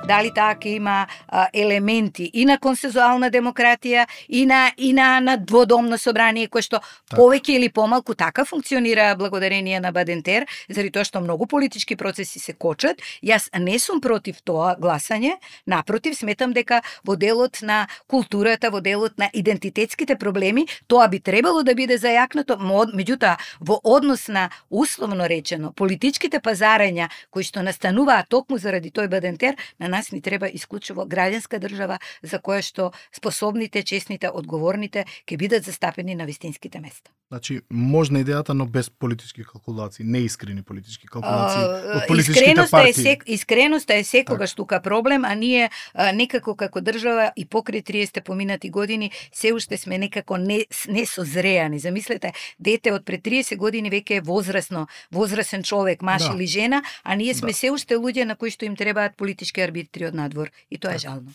дали таа ќе има елементи и на консензуална демократија и на дводомно собрание кое што повеќе или помалку така функционира благодарение на Бадентер, заради тоа што многу политички процеси се кочат. Јас не сум против тоа гласање, напротив, сметам дека во делот на културата, во делот на идентитетските проблеми, тоа би требало да биде зајакнато, меѓутоа во однос на условно речено политичките пазарења кои што настануваат токму заради тој Бадентер, на нас ни треба исклучиво граѓанска држава за која што способните, честните, одговорните ќе бидат застапени на вистинските места. Значи, можна идејата, но без политички калкулации, неискрени политички калкулации од политичките партии. Искреноста е секогаш тука проблем, а ние некако како држава и покрај 30 поминати години се уште сме некако несозреани. Замислете, дете од пред 30 години веќе е возрасен човек, маж или жена, а ние сме се уште луѓе на кои што им требаат политички арбитри од надвор. И тоа е жално.